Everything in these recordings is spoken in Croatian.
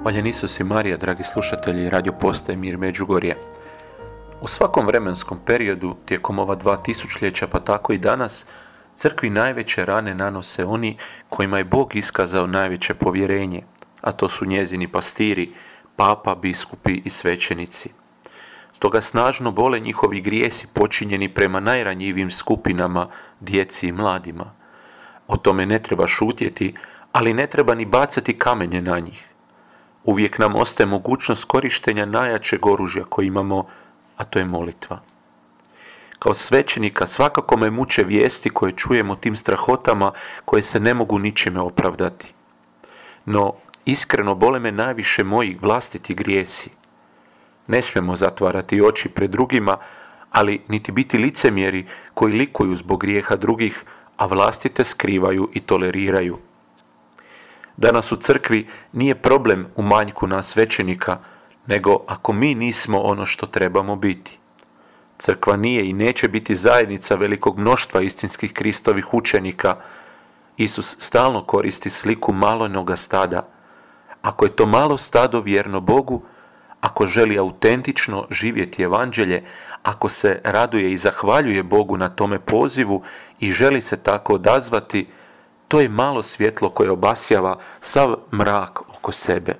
Hvaljen Isus i Marija, dragi slušatelji Radio Postaje Mir Međugorje. U svakom vremenskom periodu, tijekom ova 2000-ljeća pa tako i danas, crkvi najveće rane nanose oni kojima je Bog iskazao najveće povjerenje, a to su njezini pastiri, papa, biskupi i svećenici. Stoga snažno bole njihovi grijesi počinjeni prema najranjivijim skupinama, djeci i mladima. O tome ne treba šutjeti, ali ne treba ni bacati kamenje na njih. Uvijek nam ostaje mogućnost korištenja najjačeg oružja koje imamo, a to je molitva. Kao svećenika svakako me muče vijesti koje čujemo o tim strahotama koje se ne mogu ničime opravdati. No, iskreno bole me najviše moji vlastiti grijesi. Ne smijemo zatvarati oči pred drugima, ali niti biti licemjeri koji likuju zbog grijeha drugih, a vlastite skrivaju i toleriraju. Danas u crkvi nije problem u manjku nas svećenika, nego ako mi nismo ono što trebamo biti. Crkva nije i neće biti zajednica velikog mnoštva istinskih Kristovih učenika. Isus stalno koristi sliku malenoga stada. Ako je to malo stado vjerno Bogu, ako želi autentično živjeti evanđelje, ako se raduje i zahvaljuje Bogu na tome pozivu i želi se tako odazvati, to je malo svjetlo koje obasjava sav mrak oko sebe.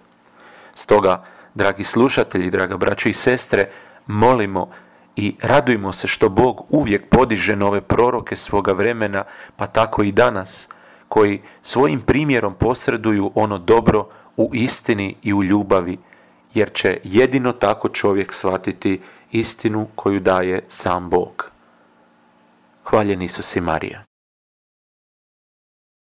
Stoga, dragi slušatelji, draga braće i sestre, molimo i radujmo se što Bog uvijek podiže nove proroke svoga vremena, pa tako i danas, koji svojim primjerom posreduju ono dobro u istini i u ljubavi, jer će jedino tako čovjek shvatiti istinu koju daje sam Bog. Hvaljen Isus i Marija.